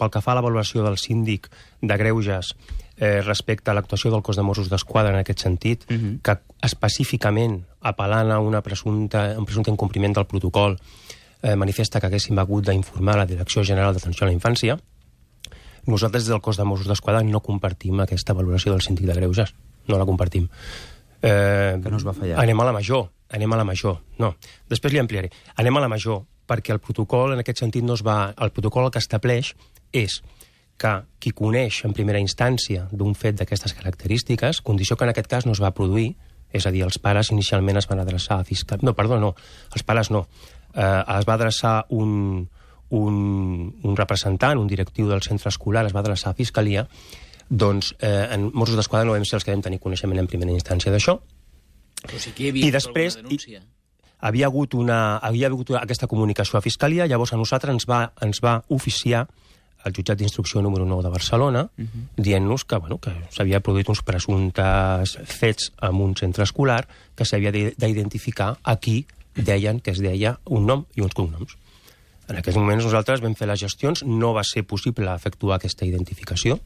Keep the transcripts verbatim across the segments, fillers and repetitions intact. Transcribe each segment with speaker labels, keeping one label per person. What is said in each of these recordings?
Speaker 1: pel que fa a la valoració del síndic de Greuges eh, respecte a l'actuació del cos de Mossos d'Esquadra en aquest sentit, uh-huh. que específicament apel·lant a una presumpta, un presumpte incompliment del protocol eh, manifesta que haguéssim hagut d'informar la Direcció General d'Atenció a la Infància, nosaltres des del cos de Mossos d'Esquadra no compartim aquesta valoració del síndic de Greuges. No la compartim. Eh,
Speaker 2: que no es va fallar.
Speaker 1: Anem a la major. Anem a la major. No. Després li ampliaré. Anem a la major, perquè el protocol en aquest sentit no es va... El protocol el que estableix és que qui coneix en primera instància d'un fet d'aquestes característiques, condició que en aquest cas no es va produir, és a dir, els pares inicialment es van adreçar a fiscal... No, perdó, no. Els pares no. Eh, es va adreçar un, un, un representant, un directiu del centre escolar, es va adreçar a Fiscalia. Doncs eh, en Mossos d'Esquadra no vam ser els que vam tenir coneixement en primera instància d'això.
Speaker 3: Però sí que hi havia
Speaker 1: I després,
Speaker 3: alguna denúncia.
Speaker 1: I, havia hagut, una, havia hagut aquesta comunicació a Fiscalia, llavors a nosaltres ens va, ens va oficiar el jutjat d'instrucció número nou de Barcelona, uh-huh. dient-nos que, bueno, que s'havia produït uns presumptes fets en un centre escolar que s'havia d'identificar a qui deien que es deia un nom i uns cognoms. En aquests moments nosaltres vam fer les gestions, no va ser possible efectuar aquesta identificació,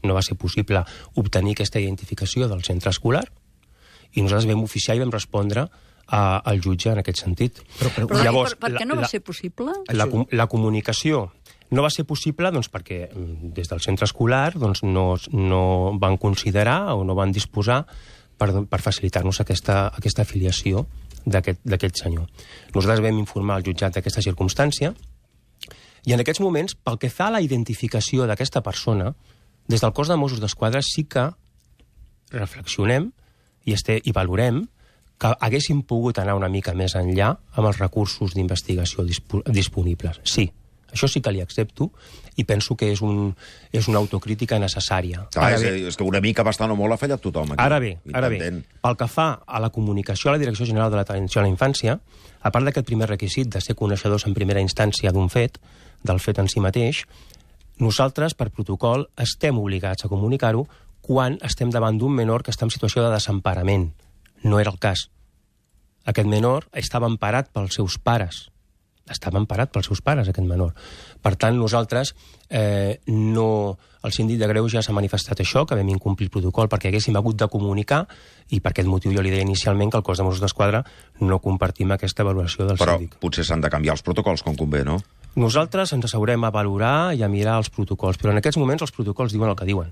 Speaker 1: no va ser possible obtenir aquesta identificació del centre escolar, i nosaltres vam oficiar i vam respondre a, al jutge en aquest sentit.
Speaker 4: Però, però, però
Speaker 1: Llavors,
Speaker 4: per, per què no
Speaker 1: la,
Speaker 4: va ser possible?
Speaker 1: La, la, la comunicació no va ser possible doncs, perquè des del centre escolar doncs, no, no van considerar o no van disposar per, per facilitar-nos aquesta, aquesta afiliació d'aquest senyor. Nosaltres vam informar al jutjat d'aquesta circumstància i en aquests moments, pel que fa a la identificació d'aquesta persona, des del cos de Mossos d'Esquadra sí que reflexionem i, este, i valorem que haguéssim pogut anar una mica més enllà amb els recursos d'investigació disp disponibles. Sí, això sí que li accepto i penso que és, un, és una autocrítica necessària.
Speaker 5: Ah, és, bé, és que una mica bastant o molt ha fallat tothom aquí.
Speaker 1: Ara bé, ara bé, pel que fa a la comunicació a la Direcció General de l'Atenció a la Infància, a part d'aquest primer requisit de ser coneixedors en primera instància d'un fet, del fet en si mateix, nosaltres, per protocol, estem obligats a comunicar-ho quan estem davant d'un menor que està en situació de desemparament. No era el cas. Aquest menor estava emparat pels seus pares. Estava emparat pels seus pares, aquest menor. Per tant, nosaltres, eh, no... el síndic de Greuges ja s'ha manifestat això, que vam incomplir el protocol perquè haguéssim hagut de comunicar, i per aquest motiu jo li deia inicialment que el cos de Mossos d'Esquadra no compartim aquesta valoració del
Speaker 5: Però
Speaker 1: síndic.
Speaker 5: Però potser s'han de canviar els protocols com convé, no?
Speaker 1: Nosaltres ens asseurem a valorar i a mirar els protocols, però en aquests moments els protocols diuen el que diuen.